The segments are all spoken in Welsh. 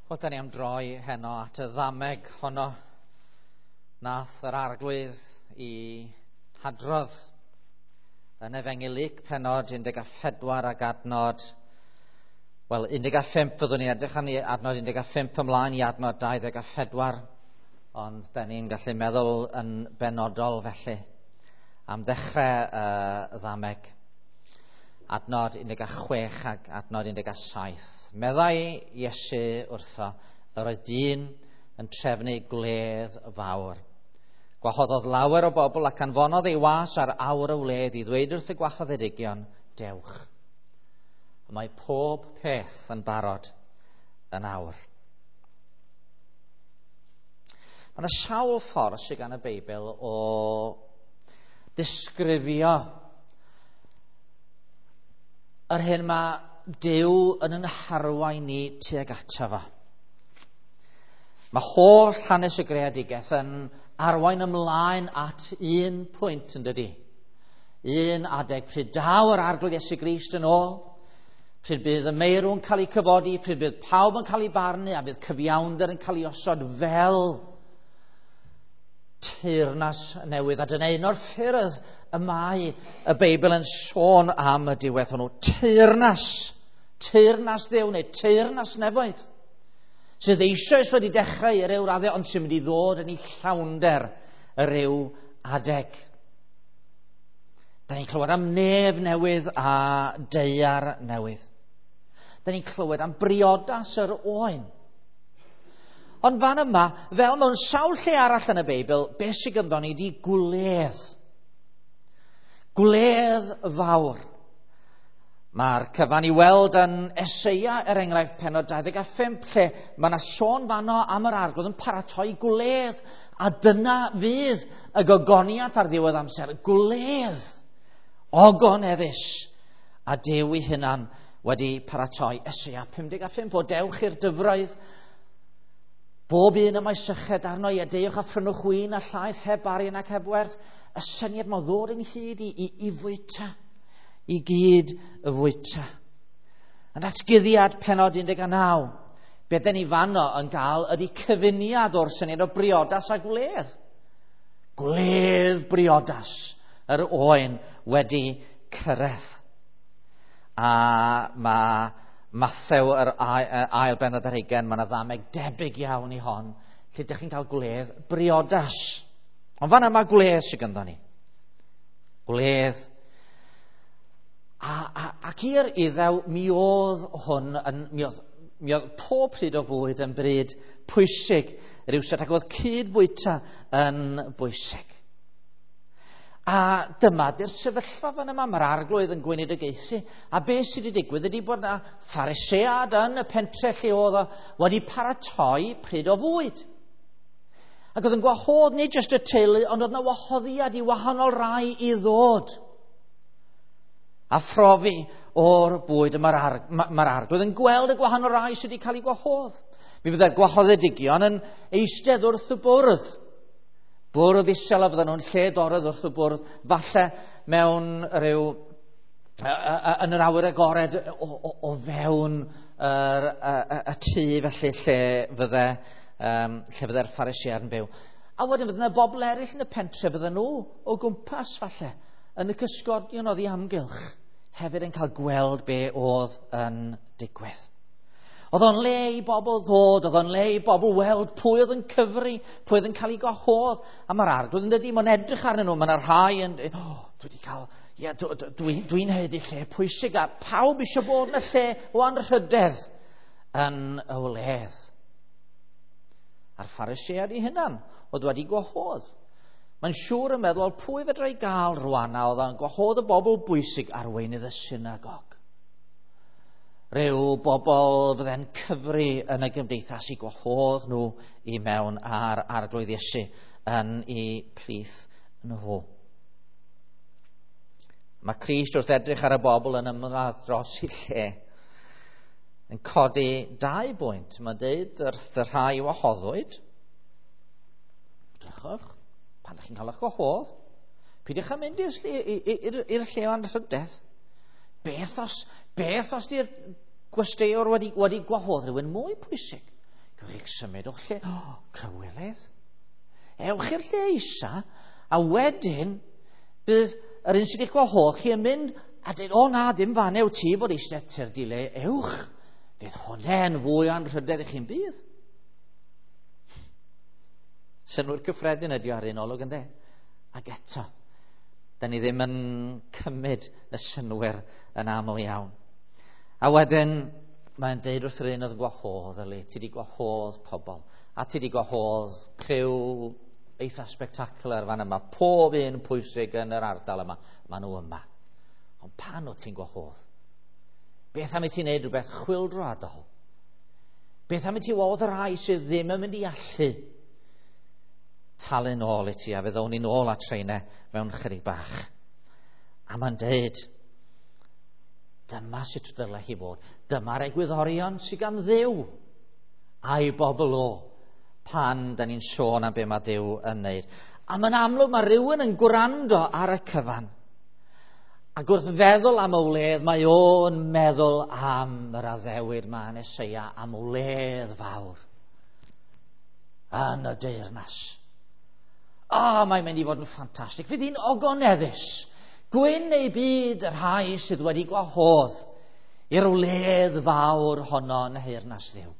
Wel, da ni am droi heno at y ddameg honno nath yr Arglwydd i hadrodd yn Efengyl Luc pennod 14 ac adnod, wel, 15 fyddwn ni'n edrych arni, adnod 15 ymlaen i adnod 24, ond da ni'n gallu meddwl yn benodol felly am ddechrau y ddameg. Adnod 16 ac adnod 17. Meddai Iesu wrtho, yr oedd dyn yn trefnu gwledd fawr. Gwahoddodd lawer o bobl ac anfonodd ei was ar awr y wledd i ddweud wrth y gwahoddedigion, dewch. Mae pob peth yn barod yn awr. Mae yna sawl ffordd sydd gan y Beibl o ddisgrifio yr hyn mae Duw yn yn harwain ni tuag ato fo. Mae holl hanes y greadigaeth yn arwain ymlaen at un pwynt, yn dydi? Un adeg pryd daw yr Arglwydd Iesu Grist yn ôl, pryd bydd y meirw'n cael ei cyfodi, pryd bydd pawb yn cael ei barnu a bydd cyfiawnder yn cael ei osod fel teyrnas newydd. A dyna un o'r ffyrdd y mae y Beibl yn sôn am y diwedd hwnnw. Teyrnas. Teyrnas Dduw neu teyrnas nefoedd. Sydd eisoes wedi dechrau i ryw raddau, ond sy'n mynd i ddod yn ei llawnder y ryw adeg. Da ni'n clywed am nef newydd a daear newydd. Da ni'n clywed am briodas yr oen. Ond fan yma, fel mewn sawl lle arall yn y Beibl, beth sydd ganddo ni di gwledd. Gwledd fawr. Mae'r cyfan i weld yn Eseia, er enghraifft, pennod 25, lle mae yna sôn fanno am yr Arglwydd yn paratoi gwledd, a dyna fydd y gogoniant ar ddiwedd amser. Gwledd ogoneddus, a Duw ei hunan wedi paratoi. Eseia 55, o dewch i'r dyfroedd, bob un y mae syched arno i, a deuwch a phrynwch win a llaeth heb arian ac heb werth. Y syniad mae ddod ynghyd i fwyta, i gyd y fwyta. Yn Datguddiad pennod 19, be den ni fanno yn gael ydy cyfuniad o'r syniad o briodas a gwledd. Gwledd briodas yr oen wedi cyrraedd. A mae Mathew yr ail bennod ar hugain, mae yna ddameg debyg iawn i hon, lle ydych chi'n cael gwledd briodas. Ond fan yma gwledd sydd ganddo ni. Gwledd. Ac i'r Iddew, mi oedd hwn yn, mi oedd pob pryd o fwyd yn bryd pwysig rywsut, ac oedd cyd-fwyta yn bwysig. A dyma di'r sefyllfa fan yma, mae'r Arglwydd yn gweinidogaethu, a beth sydd wedi digwydd ydy bod yna Pharisead yn y pentre lle oedd o wedi paratoi pryd o fwyd. Ac oedd yn gwahodd nid jyst y teulu, ond oedd yna wahoddiad i wahanol rai i ddod a phrofi o'r bwyd. Mae'r Arglwydd yn gweld y gwahanol rai sydd wedi cael ei gwahodd. Mi fyddai'r gwahoddedigion yn eistedd wrth y bwrdd. Bwrdd isel a fydden nhw'n lled-oredd wrth y bwrdd, falle mewn rhyw, yn yr awyr agored o fewn y tŷ felly lle fydde'r Phariseaid yn byw. A wedyn fydde yna bobl eraill yn y pentre, fydden nhw o gwmpas falle, yn y cysgodion oddi amgylch, hefyd yn cael gweld be oedd yn digwydd. Oedd o'n le i bobl ddod, oedd o'n le i bobl weld pwy oedd yn cyfri, pwy oedd yn cael ei gwahodd. A mae'r Arglwydd yn dydi, mae'n edrych arnyn nhw, mae yna rhai yn dweud, oh, dwi wedi cael, ie, dwi'n haeddu lle pwysig, a pawb eisiau bod yn y lle o anrhydedd yn y wledd. A'r Phariseaid ei hunan oedd wedi gwahodd. Mae'n siŵr yn meddwl, pwy fedra i gael rwan, a oedd o'n gwahodd y bobl bwysig, arweinydd y synagog. Rhyw bobl fydde'n cyfri yn y gymdeithas i gwahodd nhw i mewn ar Arglwydd Iesu yn eu plith nhw. Mae Crist wrth edrych ar y bobl yn ymladd dros i lle yn codi dau bwynt. Mae'n deud wrth y rhai wahoddwyd, drychwch, pan ydych chi'n cael eich gwahodd, peidiwch â mynd i'r lle o anrhydedd. Beth os di'r gwesteiwr wedi gwahodd rhywun mwy pwysig? Gewch chi'ch symud o'ch lle. O, cywilydd. Ewch i'r lle isa, a wedyn bydd yr un sydd wedi'ch gwahodd chi yn mynd a dweud, o na, ddim fan ew ti fod eistedd ty'r dile ewch. Bydd hwnna'n fwy o anrhydedd i chi'n bydd. Synnwyr cyffredin ydi ar un olwg, ynddo? Ac eto, da ni ddim yn cymryd y synnwyr yn aml iawn. A wedyn, mae'n deud wrth yr un oedd yn gwahodd, yli, ti wedi gwahodd pobl, a ti wedi gwahodd criw eitha spectacular fan yma, pob un pwysig yn yr ardal yma, maen nhw yma. Ond pan o ti'n gwahodd? Beth am i ti'n neud rhywbeth chwyldroadol? Beth am i ti wahodd y rhai sydd ddim yn mynd i allu talu nôl i ti, a fe ddown ni nôl at rheina mewn chydig bach. A mae'n deud, dyma sut dylai hi fod. Dyma'r egwyddorion sydd gan Dduw a'i bobl o pan da ni'n sôn am be mae Duw yn wneud. A mae'n amlwg mae rhywun yn gwrando ar y cyfan. Ac wrth feddwl am y wledd, mae o'n meddwl am yr addewid ma yn Eseia, am wledd fawr yn y deyrnas. O, mae'n mynd i fod yn ffantastig. Fydd hi'n ogoneddus. Gwyn ei byd y rhai sydd wedi gwahodd i'r wledd fawr honno yn nheyrnas Dduw.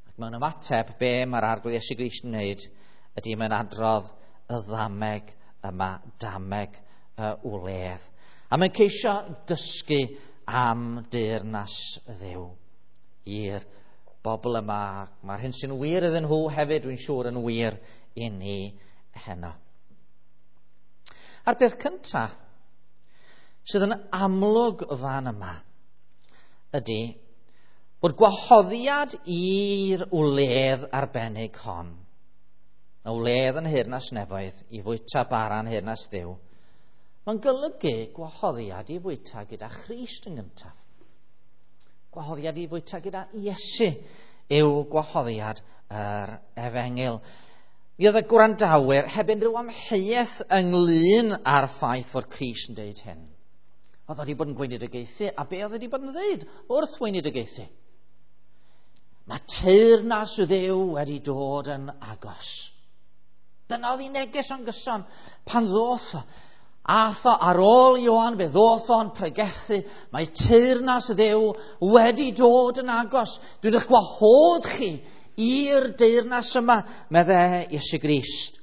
Ac mewn ymateb, be mae'r Arglwydd Iesu Grist yn wneud ydy mae'n adrodd y ddameg yma, dameg y wledd. A mae'n ceisio dysgu am deyrnas Dduw i'r bobl yma. Mae'r hyn sy'n wir iddyn nhw hefyd, dwi'n siŵr, yn wir i ni heno. A'r peth cyntaf sydd yn amlwg fan yma ydy bod gwahoddiad i'r wledd arbennig hon, y wledd yn nheyrnas nefoedd i fwyta bara yn nheyrnas Dduw, mae'n golygu gwahoddiad i fwyta gyda Christ yn gyntaf. Gwahoddiad i fwyta gyda Iesu yw gwahoddiad yr efengyl. Mi oedd y gwrandawyr heb unrhyw amheuaeth ynglyn â'r ffaith fod Crist yn deud hyn. Oedd wedi bod yn gweinidogaethu, a be oedd wedi bod yn ddeud wrth weinidogaethu? Mae teyrnas Dduw wedi dod yn agos. Dyna oedd ei neges o'n gyson pan ddoth o. Ath o ar ôl Ioan, fe ddoth o'n pregethu. Mae teyrnas Dduw wedi dod yn agos. Dwi'n eich gwahodd chi i'r deyrnas yma, medde Iesu Grist.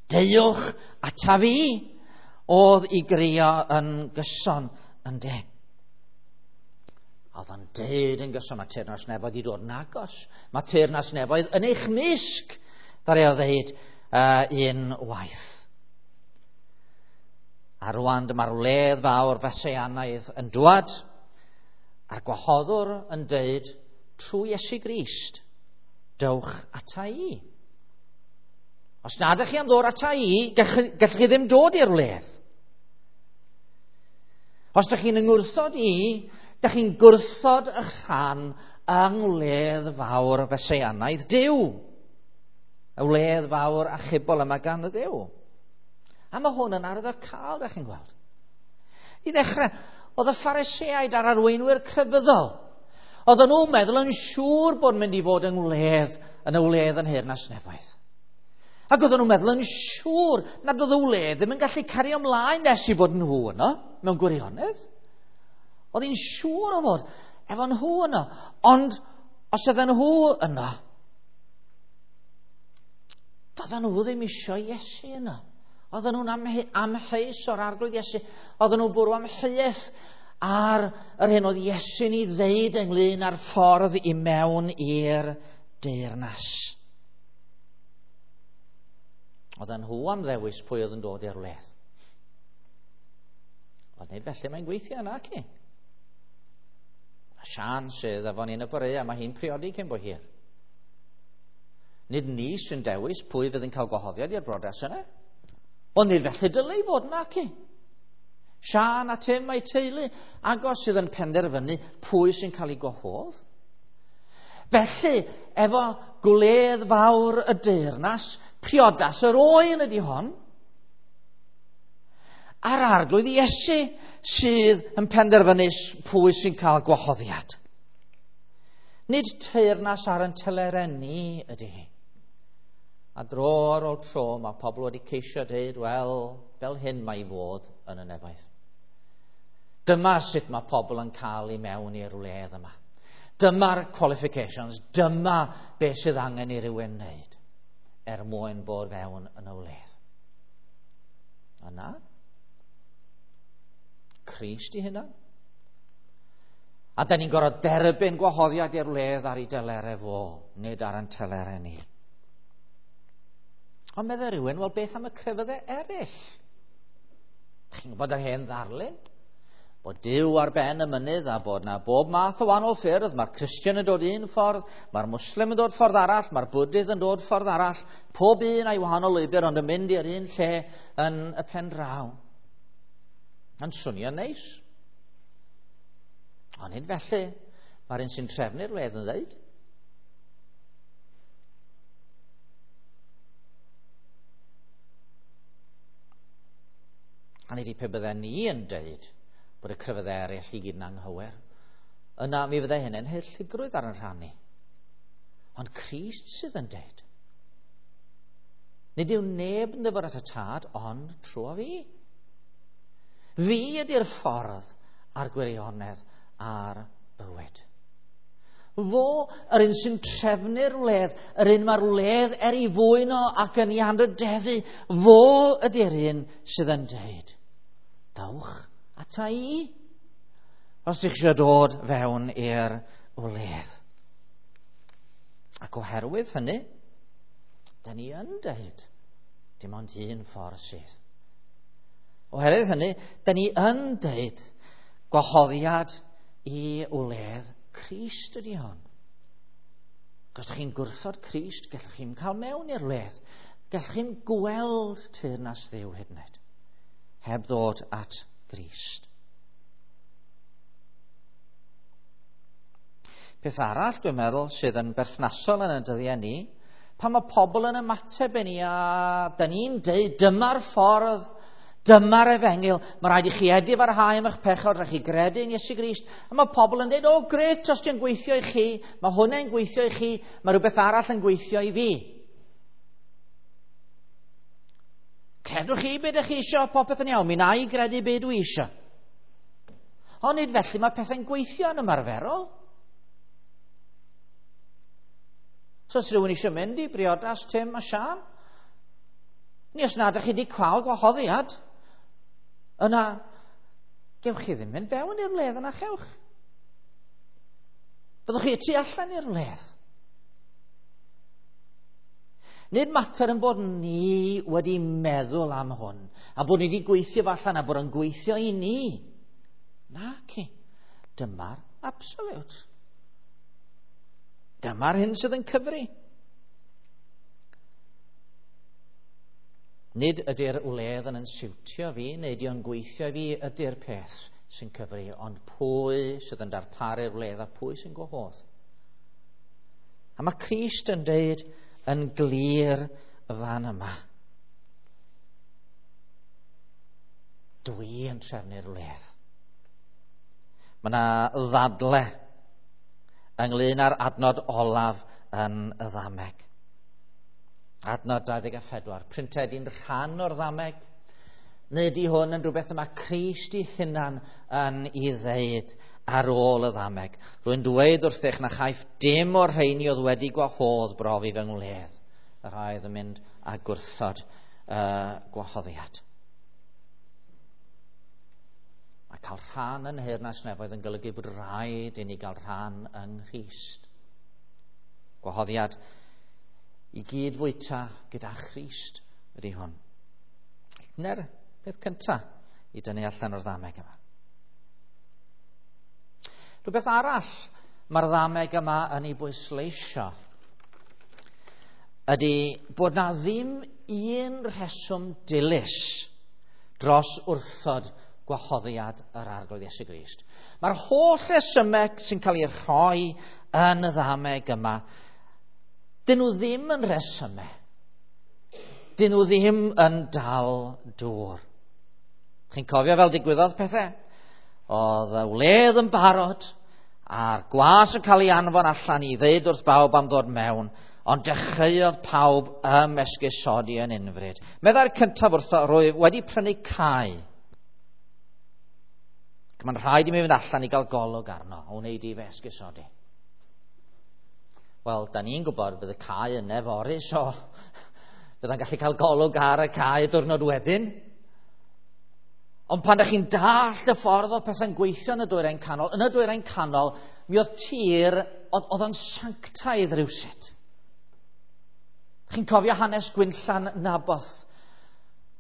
Deuwch ata fi, oedd i grio yn gyson yn de. Oedd o'n deud yn gyson, mae teyrnas nefoedd i dod yn agos. Mae teyrnas nefoedd yn eich mysg, ddaru o ddeud un waith. A rwan dyma'r wledd fawr Feseianaidd yn dwad, a'r gwahoddwr yn deud, trwy Iesu Grist, dewch ata i. Os nad ydych chi am ddod ata i, gallwch chi ddim dod i'r wledd. Os ydych chi'n yngwrthod i, ydych chi'n gwrthod eich rhan yng ngwledd fawr Feseianaidd Duw. Y wledd fawr achubol yma gan y Duw. A mae hwn yn arwyddocaol, ydych chi'n gweld. I ddechrau, oedd y Phariseaid a'r arweinwyr crefyddol. Oedden nhw'n meddwl yn siŵr bod mynd i fod yng ngwledd, yn y wledd yn nheyrnas nefoedd. Ac oedden nhw'n meddwl yn siŵr nad oedd y wledd ddim yn gallu cario ymlaen nes i fod nhw yno, mewn gwirionedd. Oedd hi'n siŵr o fod efo nhw yno. Ond os oedden nhw yno, doedden nhw ddim isio Iesu yno. Oedden nhw'n amheus o'r Arglwydd Iesu. Oedden nhw'n bwrw amheuaeth ar yr hyn oedd Iesu'n ei ddeud ynglyn â'r ffordd i mewn i'r deyrnas. Oedden nhw am ddewis pwy oedd yn dod i'r wledd. Ond nid felly mae'n gweithio yna, ci. A Sian sydd efo ni yn y bore, a mae hi'n priodi cyn bo hir. Nid ni sy'n dewis pwy fydd yn cael gwahoddiad i'r briodas yna. Ond nid felly dylai fod yna, ci. Sian a Tim a'i teulu agos sydd yn penderfynu pwy sy'n cael ei gwahodd. Felly, efo gwledd fawr y deyrnas, priodas yr oen ydy hon, a'r Arglwydd Iesu sydd yn penderfynu pwy sy'n cael gwahoddiad. Nid teyrnas ar yn telerau ni ydy hi. A dro ar ôl tro mae pobl wedi ceisio dweud, wel, fel hyn mae i fod yn y nefoedd. Dyma sut mae pobl yn cael i mewn i'r wledd yma. Dyma'r qualifications, dyma beth sydd angen i rywun wneud er mwyn bod fewn yn y wledd. A na, Crist i hynna. A da ni'n gorfod derbyn gwahoddiad i'r wledd ar ei delerau fo, nid ar ein telerau ni. Ond meddai rhywun, wel beth am y crefyddau eraill? Chi'n gwybod yr hen ddarlun? Bod Duw ar ben y mynydd a bod na bob math o wahanol ffyrdd. Mae'r Cristion yn dod un ffordd, mae'r Muslim yn dod ffordd arall, mae'r Bwdydd yn dod ffordd arall. Pob un a'i wahanol lwybr ond yn mynd i'r un lle yn y pen draw. Yn swnio'n neis. Ond nid felly. Mae'r un sy'n trefnu'r wledd yn dweud. A nid i pe bydden ni yn dweud bod y crefyddau eraill i gyd yn anghywir, yna mi fyddai hynny'n haerllugrwydd ar yn rhan ni. Ond Crist sydd yn dweud. Nid yw neb yn dyfod at y tad, ond trwy fi. Fi ydy'r ffordd a'r gwirionedd a'r bywyd. Fo, yr un sy'n trefnu'r wledd, yr un mae'r wledd er ei fwyn o ac yn ei anrhydeddu, fo ydy'r un sydd yn dweud, dawch ata i, os ydych eisiau dod fewn i'r wledd. Ac oherwydd hynny, da ni yn dweud, dim ond un ffordd sydd. Oherwydd hynny, da ni yn dweud gwahoddiad i wledd Crist ydy hon. Os ydych chi'n gwrthod Crist, gallwch chi'n cael mewn i'r wledd. Gallwch chi'n gweld teyrnas Dduw hyd yn oed, heb ddod at Grist. Peth arall, dwi'n meddwl, sydd yn berthnasol yn y dyddiau ni, pan mae pobl yn ymateb i ni a da ni'n deud dyma'r ffordd, dyma'r efengyl, mae rhaid i chi edifarhau am eich pechod, rhaid chi gredu yn Iesu Grist. A mae pobl yn deud, o gret, os di'n gweithio i chi, mae hwnna'n gweithio i chi, mae rhywbeth arall yn gweithio i fi. Credwch chi beth ydych chi eisiau, popeth yn iawn, mi na i gredu beth dwi eisiau. Ond nid felly mae pethau'n gweithio yn ymarferol. So os rhywun eisiau mynd i briodas Tim a Sian, ni os nad ydych chi wedi cael gwahoddiad, yna gewch chi ddim mynd fewn i'r wledd yna chewch. Byddwch chi tu allan i'r wledd. Nid mater yn bod ni wedi meddwl am hwn, a bod ni wedi gweithio fo allan, a bod yn gweithio i ni. Naci. Dyma'r absolute. Dyma'r hyn sydd yn cyfri. Nid ydy'r wledd yn siwtio fi, neu ydy o'n gweithio i fi, ydy'r peth sy'n cyfri, ond pwy sydd yn darparu'r wledd a pwy sy'n gwahodd. A mae Crist yn deud yn glir fan yma. Dwi yn trefnu'r wledd. Mae yna ddadle ynglyn â'r adnod olaf yn y ddameg. Adnod 24, printed un rhan o'r ddameg, neu ydy hwn yn rhywbeth yma Crist ei hunan yn ei ddeud ar ôl y ddameg. Rwy'n dweud wrthych na chaiff dim o'r rheini oedd wedi gwahodd brofi fy ngwledd. Y rhai oedd yn mynd a gwrthod gwahoddiad. Mae cael rhan yn nheyrnas nefoedd yn golygu bod rhaid i ni gael rhan yng Nghrist. Gwahoddiad i gyd fwyta gyda Christ ydy hwn. Dyna'r peth cyntaf i dynnu allan o'r ddameg yma. Rhywbeth arall mae'r ddameg yma yn ei bwysleisio ydy bod na ddim un rheswm dilys dros wrthod gwahoddiad yr Arglwydd Iesu Grist. Mae'r holl resymeg sy'n cael ei rhoi yn y ddameg yma, dyn nhw ddim yn resymau. Dyn nhw ddim yn dal dŵr. Chi'n cofio fel digwyddodd pethau? Oedd y wledd yn barod, A'r gwas yn cael ei anfon allan i ddeud wrth bawb am ddod mewn, ond dechreuodd pawb ymesgusodi yn unfryd. Meddai'r cyntaf wrtho, rwyf wedi prynu cae. Ac mae'n rhaid i mi fynd allan i gael golwg arno, o wneud i fe esgusodi. Wel, da ni'n gwybod bydd y cae yn fory, so bydda'n gallu cael golwg ar y cae diwrnod wedyn. Ond pan ydych chi'n dallt y ffordd o pethau'n gweithio yn y dwyrain canol, yn y dwyrain canol, mi oedd tir, oedd o'n sanctaidd rhywsut. Chi'n cofio hanes Gwynllan Naboth?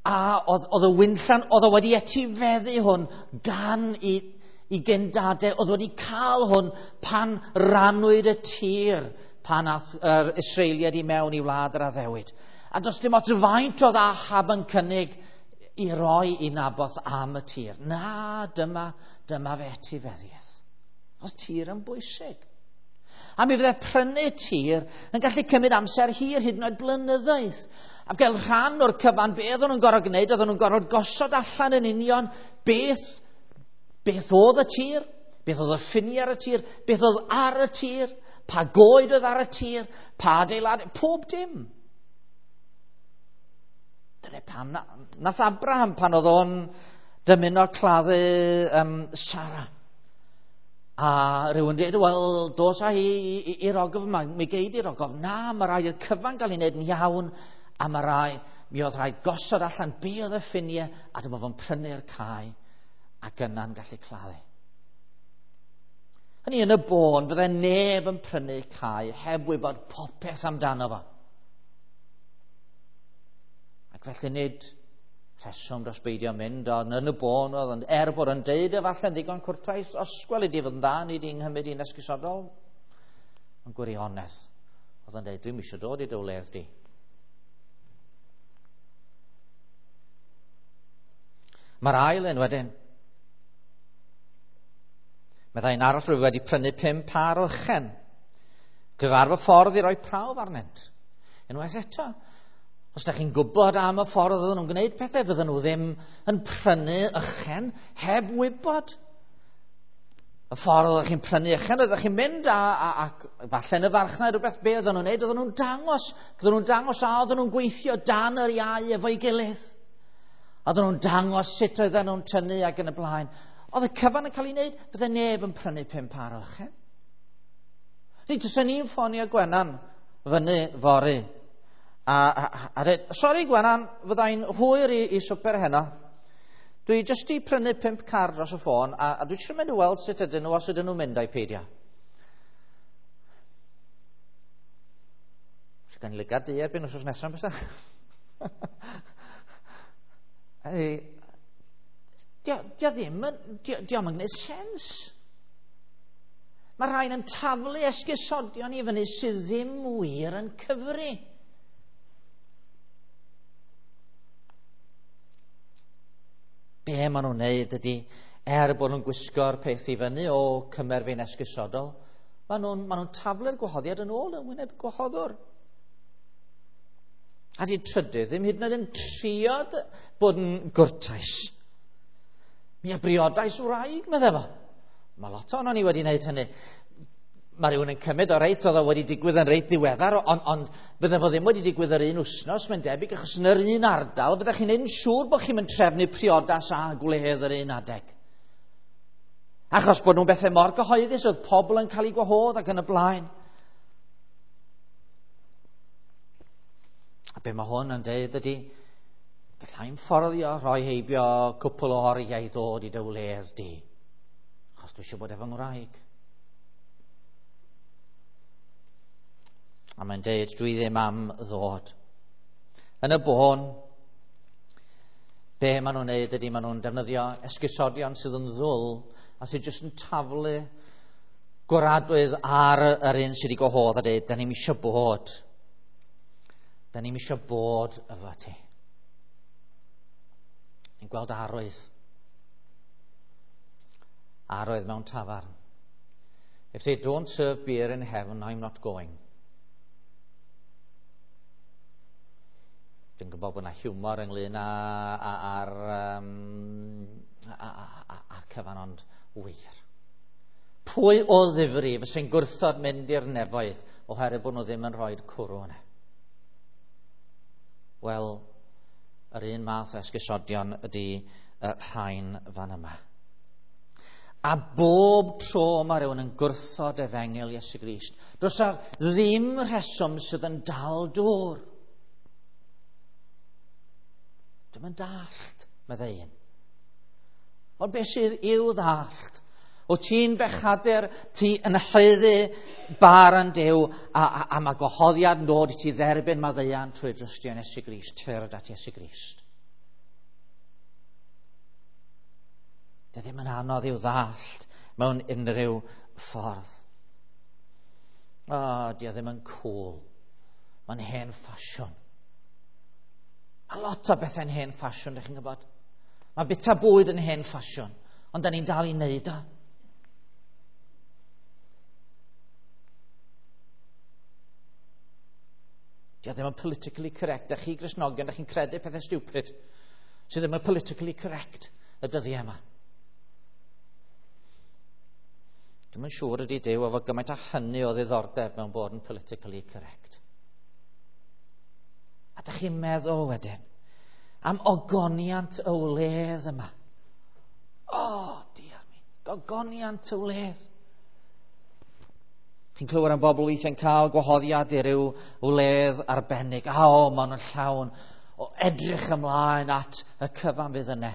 A oedd y Wynllan, oedd o wedi etifeddu hwn gan i gyndadau, oedd wedi cael hwn pan rannwyd y tir, pan ath yr Israeliaid i mewn i wlad yr addewid. A does dim ots faint oedd Ahab yn cynnig i roi i Naboth am y tir. Na, dyma fe etifeddiaeth. Oedd tir yn bwysig. A mi fydde prynu tir yn gallu cymryd amser hir, hyd yn oed blynyddoedd. A gael rhan o'r cyfan, be oedden nhw'n gorfod gwneud, oedden nhw'n gorfod gosod allan yn union beth oedd y tir, beth oedd y ffiniau ar y tir, beth oedd ar y tir, pa goed oedd ar y tir, pa adeilad, pob dim. Dyna pam nath Abraham pan oedd o'n dymuno claddu Sara. A rhywun dweud, wel, dos â hi i'r ogof yma, mi gei di'r ogof. Na, mae rhaid i'r cyfan gael ei wneud yn iawn, a mae rhaid, mi oedd rhaid gosod allan be oedd y ffiniau, a dyma fo'n prynu'r cae, ac yna'n gallu claddu. Hynny yn y bôn, fydde neb yn prynu cae heb wybod popeth amdano fo. Ac felly nid rheswm dros beidio mynd, ond yn y bôn oedd, ond er bod yn deud efallai'n ddigon cwrtais, os gweli di fod yn dda, ni di'n nghymryd i'n esgusodol. Ond gwirionedd, oedd yn deud, dwi'm eisiau dod i dy wledd di. Mae'r ail un wedyn. Meddai un arall, rwyf wedi prynu 5 pâr o ychen. Gyfarfod ffordd i roi prawf arnynt. Unwaith eto, os da chi'n gwybod am y ffordd oedden nhw'n gwneud pethau, fydden nhw ddim yn prynu ychen heb wybod. Y ffordd oeddech chi'n prynu ychen, oeddech chi'n mynd a falle yn y farchnad rhywbeth, be oedden nhw'n gwneud, oedden nhw'n dangos. Oedden nhw'n dangos a oedden nhw'n gweithio dan yr iau efo'i gilydd. Oedden nhw'n dangos sut oedden nhw'n tynnu ac yn y blaen. Oedd y cyfan yn cael ei wneud, bydde neb yn prynu 5 pâr o ychen. Ni, tysen ni'n ffonio Gwenan fyny fory. A dweud, sori Gwenan, fyddai'n hwyr i swper heno. Dwi jyst i prynu 5 car dros y ffôn, a dwi eisiau mynd i weld sut ydyn nhw, os ydyn nhw'n mynd a'i peidio. Os gan i lygad di erbyn wythnos nesaf, bysa? Dio ddim yn, dio'm yn gwneud sens. Mae rhain yn taflu esgusodion i fyny sydd ddim wir yn cyfri. Be maen nhw'n wneud ydy, er bod nhw'n gwisgo'r peth i fyny o cymer fi'n esgusodol, maen nhw'n taflu'r gwahoddiad yn ôl yn wyneb gwahoddwr. A di trydydd ddim hyd yn oed yn trio bod yn gwrtais. Mi a briodais wraig, meddai fo. Mae lot ohonon ni wedi wneud hynny. Mae rhywun yn cymryd o reit, oedd o wedi digwydd yn reit ddiweddar, ond fydde fo ddim wedi digwydd yr un wythnos, mae'n debyg, achos yn yr un ardal, fyddech chi'n neud yn siŵr bod chi'n mynd trefnu priodas a gwledd yr un adeg. Achos bod nhw'n bethau mor gyhoeddus, oedd pobl yn cael eu gwahodd ac yn y blaen. A be mae hwn yn deud ydy, gallai'n fforddio rhoi heibio cwpl o oriau i ddod i dy wledd di, achos dwi eisiau bod efo ngwraig. A mae'n deud, dwi ddim am ddod. Yn y bôn, be maen nhw'n neud ydy, maen nhw'n defnyddio esgusodion sydd yn ddwl a sydd jyst yn taflu gwaradwydd ar yr un sydd wedi gwahodd a deud, da ni'm eisiau bod. Da ni'm eisiau bod efo ti. Ni'n gweld arwydd. Arwydd mewn tafarn. If they don't serve beer in heaven, I'm not going. Dwi'n gwybod bod yna hiwmor ynglyn â'r cyfan, ond wir. Pwy o ddifri fysa'n gwrthod mynd i'r nefoedd oherwydd bod nhw ddim yn rhoi'r cwrw yna? Wel, yr un math o esgusodion ydy y rhain fan yma. A bob tro mae rhywun yn gwrthod efengyl Iesu Grist, does 'na ddim rheswm sydd yn dal dŵr. Dwi'm yn dallt, meddai un. Ond beth sydd i'w ddallt? Wyt ti'n bechadur, ti yn haeddu barn Duw, a mae gwahoddiad yn dod i ti dderbyn maddeuant trwy drystio yn Iesu Grist. Tyrd at Iesu Grist. Dydy ddim yn anodd i'w ddallt mewn unrhyw ffordd. O, di o ddim yn cool. Mae'n hen ffasiwn. Mae lot o bethau'n hen ffasiwn, ydych chi'n gwybod? Mae bita bwyd yn hen ffasiwn, ond da ni'n dal i wneud o. Di o ddim yn politically correct. Da chi Gristnogion, da chi'n credu pethau stupid sydd ddim yn politically correct y dyddiau yma. Dwi'm yn siŵr ydy Duw efo gymaint â hynny o ddiddordeb mewn bod yn politically correct. A da chi'n meddwl wedyn am ogoniant y wledd yma. O, oh, diar mi, gogoniant y wledd. Chi'n clywed am bobl weithiau'n cael gwahoddiad i ryw wledd arbennig. A o, maen nhw'n llawn o edrych ymlaen at y cyfan fydd yna.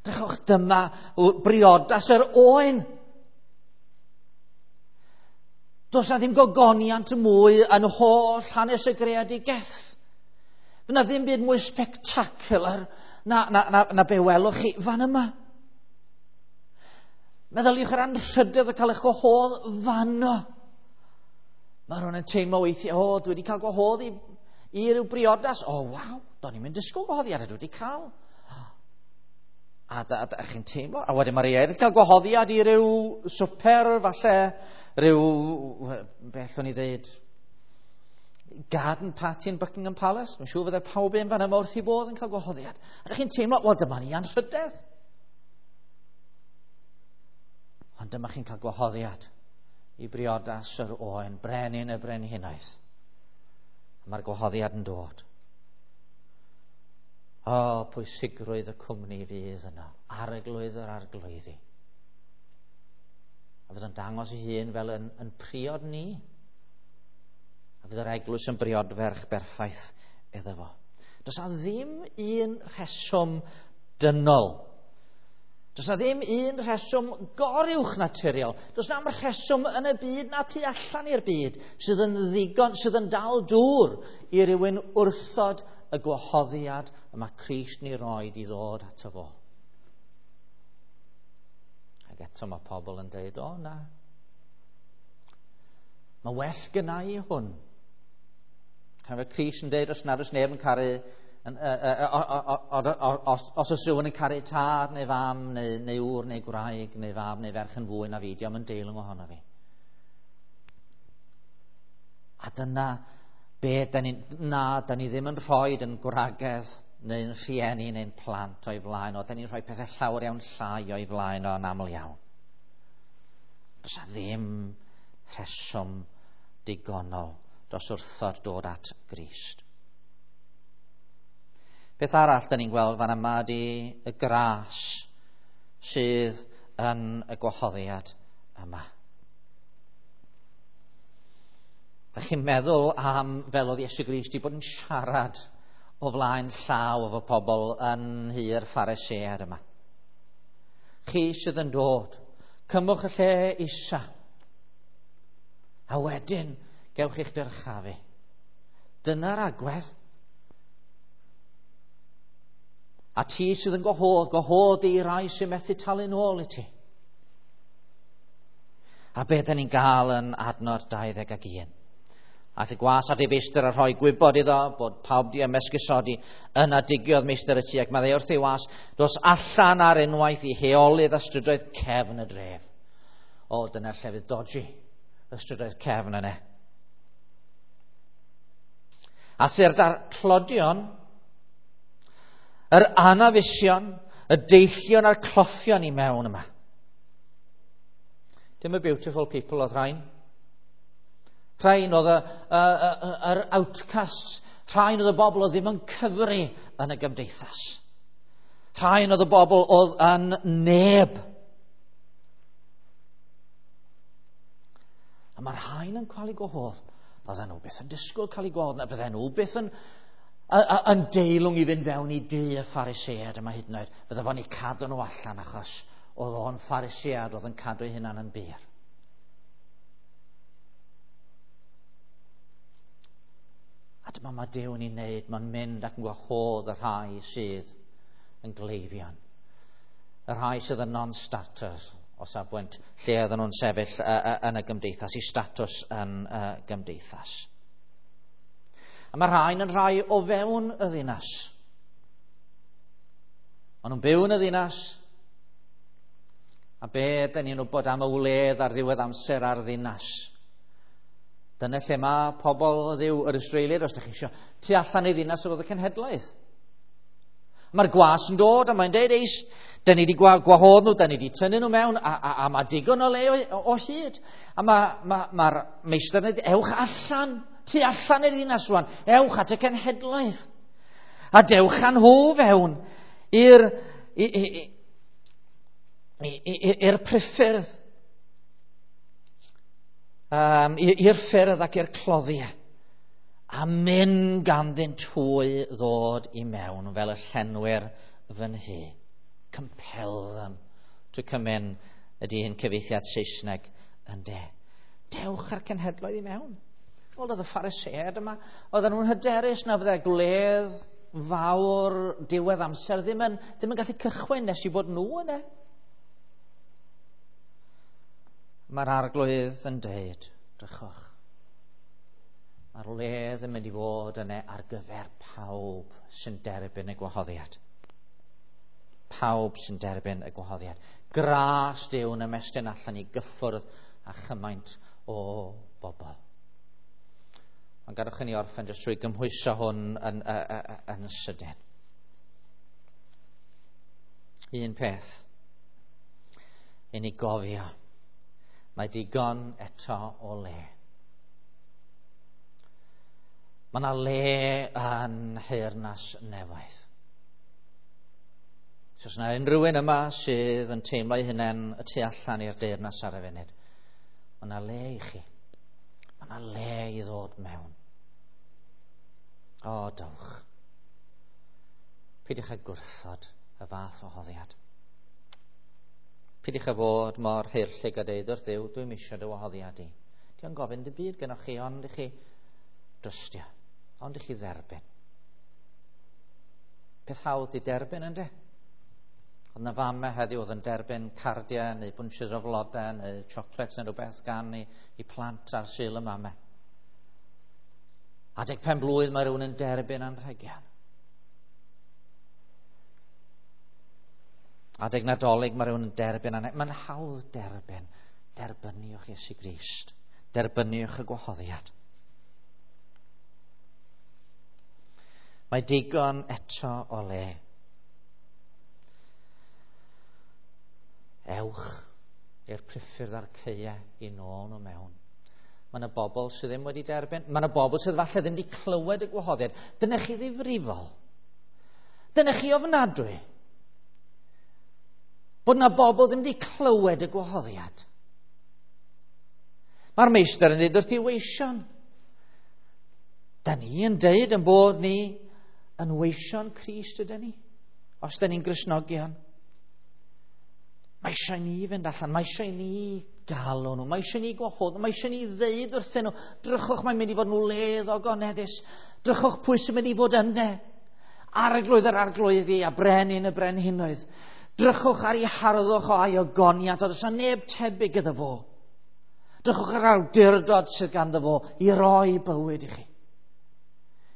Drychwch, dyma briodas yr oen. Does na ddim gogoniant mwy yn holl hanes y greadigaeth. Fydd na ddim byd mwy spectacular na be welwch chi fan yma. Meddyliwch yr anrhydedd o cael eich gwahodd fanno. Mae rhywun yn teimlo weithiau, o, dwi wedi cael gwahodd i ryw briodas. O, waw, do'n i'n mynd disgwyl gwahoddiad, dwi wedi cael. A da chi'n teimlo, a wedyn mae rhai eraill cael gwahoddiad i ryw swper, falle, ryw, beth o'n i ddeud, garden party yn Buckingham Palace. Mae'n siŵr fydde pawb un fan yma wrth i bodd yn cael gwahoddiad. A da chi'n teimlo, wel, dyma ni anrhydedd. Ond dyma chi'n cael gwahoddiad i briodas yr oen, brenin y brenhinoedd. A mae'r gwahoddiad yn dod. O, pwysigrwydd y cwmni fydd yno, arglwydd yr arglwyddi. A fydd yn dangos ei hun fel yn priod ni. A fydd yr eglwys yn briodferch berffaith iddo fo. Does na ddim un rheswm dynol. Does na ddim un rheswm goruwch naturiol. Does na rheswm yn y byd na tu allan i'r byd sydd yn ddigon, sydd yn dal dŵr i rywun wrthod y gwahoddiad y mae Crist ni roed i ddod ato fo. Ac eto mae pobl yn dweud, o na, mae well gynna i hwn. Pan mae Crist yn dweud, os nad oes neb yn caru, os oes rhywun yn caru tad neu fam neu ŵr neu gwraig neu fab neu ferch yn fwy na fi, dio'm yn deilwng ohono fi. A dyna be da ni, na, da ni ddim yn rhoi yn gwragedd neu'n rhieni neu'n plant o'i flaen o. Da ni'n rhoi pethau llawer iawn llai o'i flaen o yn aml iawn. Does na ddim rheswm digonol dros wrthod dod at Grist. Beth arall da ni'n gweld fan yma ydy y gras sydd yn y gwahoddiad yma. Da chi'n meddwl am fel oedd Iesu Grist i bod yn siarad o flaen llaw efo pobl yn nhŷ'r Phariseaid yma. Chi sydd yn dod, cymwch y lle isa, a wedyn gewch eich dyrchafu. Dyna'r agwedd. A ti sydd yn gwahodd, gwahodd i rai sy'n methu talu nôl i ti. A be da ni'n gael yn adnod 21. Aeth y gwas at ei feistr a rhoi gwybod iddo bod pawb di ymesgusodi. Yna digiodd meistr y tŷ ac meddai wrth ei was, dos allan ar unwaith i heolydd a strydoedd cefn y dref. O, dyna'r llefydd dodgy, y strydoedd cefn yna. A tyrd â'r tlodion, yr anafusion, y deillion a'r cloffion i mewn yma. Dim y beautiful people oedd rhain. Rhain oedd yr outcasts. Rhain oedd y bobl oedd ddim yn cyfri yn y gymdeithas. Rhain oedd y bobl oedd yn neb. A mae'r rhain yn cael eu gwahodd. Fydden nhw byth yn disgwyl cael eu gwahodd, na fydden nhw byth yn deilwng i fynd fewn i dŷ y Pharisead yma hyd yn oed. Fydde fo'n eu cadw nhw allan achos oedd o'n Pharisead oedd yn cadw ei hunan yn bur. A dyma mae Duw yn ei wneud, mae'n mynd ac yn gwahodd y rhai sydd yn gleifion. Y rhai sydd yn non-starters o safbwynt lle oedden nhw'n sefyll yn y gymdeithas, i statws yn y gymdeithas. A mae rhain yn rhai o fewn y ddinas. Maen nhw'n byw yn y ddinas. A be dyn ni'n wybod am y wledd ar ddiwedd amser a'r ddinas? Dyna lle mae pobl o Dduw, yr Israeliaid, os ydych chi eisiau, tu allan i ddinas oedd y cenhedlaeth. Mae'r gwas yn dod a mae'n deud, eis, dyn ni wedi gwahodd nhw, dyn ni wedi tynnu nhw mewn, a mae digon o le o hyd. A mae'r meistr yn dweud, ewch allan, tu allan i'r ddinas rwan, ewch at y cenhedlaeth. A dewch â nhw fewn i'r priffyrdd, i'r ffyrdd ac i'r cloddiau. A mynd ganddynt hwy ddod i mewn fel y llenwyr fy nhŷ. Compel them to come in ydy un cyfieithiad Saesneg yn de. Dewch â'r cenhedloedd i mewn. Wel, oedd y Phariseaid yma, oedden nhw'n hyderus na fydde gwledd fawr diwedd amser ddim yn gallu cychwyn nes i bod nhw yna. Mae'r Arglwydd yn deud, drychwch, mae'r wledd yn mynd i fod yna ar gyfer pawb sy'n derbyn y gwahoddiad. Pawb sy'n derbyn y gwahoddiad. Gras Duw yn ymestyn allan i gyffwrdd â chymaint o bobl. Ond gadewch i ni orffen jyst trwy gymhwyso hwn yn sydyn. Un peth i ni gofio, mae digon eto o le. Mae yna le yn Nheyrnas Nefoedd. So, os yna unrhyw un yma sydd yn teimlo ei hunain y tu allan i'r deyrnas ar y funud, mae yna le i chi. Mae yna le i ddod mewn. O, dowch. Peidiwch â gwrthod y fath o hoddiad. Peidiwch â fod mor haerllug a deud wrth Dduw, dwi'm eisiau dy wahoddiad i. Dio'n gofyn dim byd gennoch chi, ond i chi drystio, ond i chi dderbyn. Peth hawdd i derbyn, yndê? Oedd na famau heddiw oedd yn derbyn cardiau neu bunches o flodau neu chocolates neu rhywbeth gan i plant ar Sul y Mamau. Adeg pen blwydd mae rhywun yn derbyn anrhegion. Adeg Nadolig mae rhywun yn derbyn anrhegion. Mae'n hawdd derbyn. Derbyniwch Iesu Grist. Derbyniwch y gwahoddiad. Mae digon eto o le. Ewch i'r priffyrdd a'r caeau i nôl nhw mewn. Mae yna bobl sydd ddim wedi derbyn. Mae yna bobl sydd falle ddim wedi clywed y gwahoddiad. Dyna chi ddifrifol. Dyna chi ofnadwy. Bod yna bobl ddim wedi clywed y gwahoddiad. Mae'r meistr yn dweud wrth ei weision. Da ni yn deud yn bod ni yn weision Crist ydyn ni, os da ni'n Gristnogion. Mae eisiau ni fynd allan, mae eisiau ni galw nhw, mae eisiau ni gwahodd nhw, mae eisiau ni ddeud wrthyn nhw, drychwch, mae'n mynd i fod yn wledd ogoneddus, drychwch pwy sy'n mynd i fod yna. Arglwydd yr arglwyddi a brenin y brenhinoedd. Drychwch ar ei harddwch o a'i ogoniant, ond oes neb tebyg iddo fo. Drychwch ar awdurdod sydd ganddo fo i roi bywyd i chi.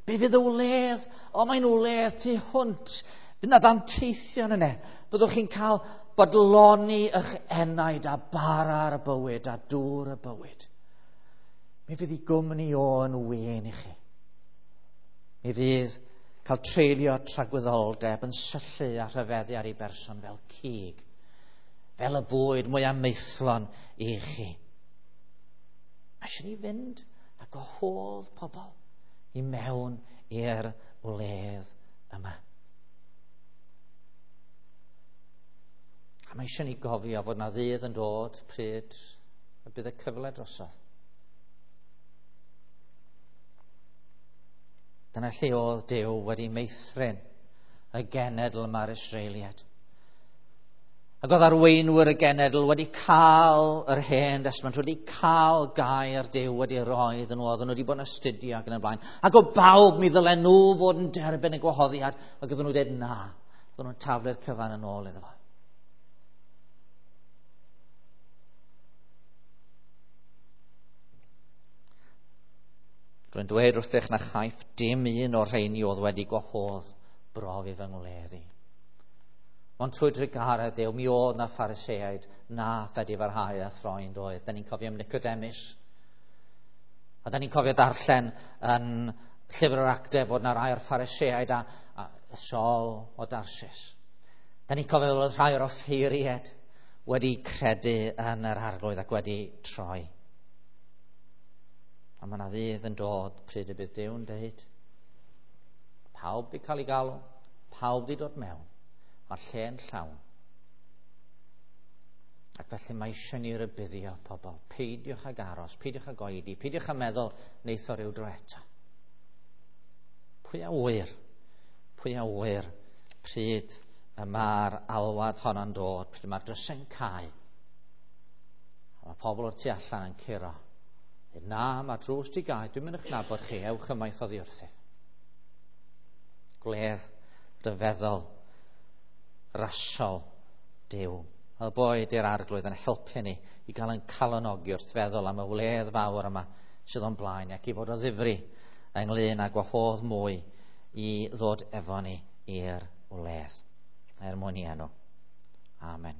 Be fydd y wledd? O, mae'n wledd tu hwnt. Fydd yna ddanteithion yna. Byddwch chi'n cael bodloni eich enaid a bara ar y bywyd a dŵr y bywyd. Mi fydd ei gwmni o yn wên i chi. Mi fydd cael treulio tragwyddoldeb yn syllu a rhyfeddu ar ei berson fel cig. fel y bwyd mwyaf maethlon i chi. Mae eisiau ni fynd a gwahodd pobl i mewn i'r wledd yma. A mae eisiau ni gofio fod na ddydd yn dod pryd y bydd y cyfle drosodd. Dyna lle oedd Duw wedi meithrin y genedl yma'r Israeliaid. Ac oedd arweinwyr y genedl wedi cael yr Hen Destament, wedi cael gair Duw wedi roi iddyn nhw, oedden nhw wedi bod yn astudio ac yn y blaen. Ac o bawb mi ddylen nhw fod yn derbyn y gwahoddiad, ac oedden nhw dweud na, oedden nhw'n taflu'r cyfan yn ôl iddo fo. Rwy'n dweud wrthych na chaiff dim un o'r rheini oedd wedi gwahodd brofi fy ngwledd i. Ond trwy drugaredd Duw, mi oedd na Phariseaid nath edifarhau a throi'n doedd. Da ni'n cofio am Nicodemus. A da ni'n cofio darllen yn llyfr yr Actau bod na rai o'r Phariseaid a Saul o Darsis. Da ni'n cofio bod rhai o'r offeiriaid wedi credu yn yr Arglwydd ac wedi troi. A mae yna ddydd yn dod pryd y bydd Duw'n deud, pawb di cael ei galw, pawb di dod mewn, mae'r lle'n llawn. Ac felly mae eisiau ni rybuddio pobl, peidiwch ag aros, peidiwch ag oedi, peidiwch â meddwl neith o ryw dro eto. Pwy a ŵyr, pwy a ŵyr pryd y mae'r alwad honno'n dod, pryd mae'r drysau'n cau, a mae pobl o'r tu allan yn curo. Na, mae drws di gau, dwi'n mynd i'ch nabod chi, ewch ymaith oddi wrthyf. Gwledd ryfeddol, rasol Duw. A boed i'r Arglwydd yn helpu ni i gael yn calonogi wrth feddwl am y wledd fawr yma sydd o'n blaen ac i fod o ddifri ynglyn â gwahodd mwy i ddod efo ni i'r wledd. Er mwyn i enw. Amen.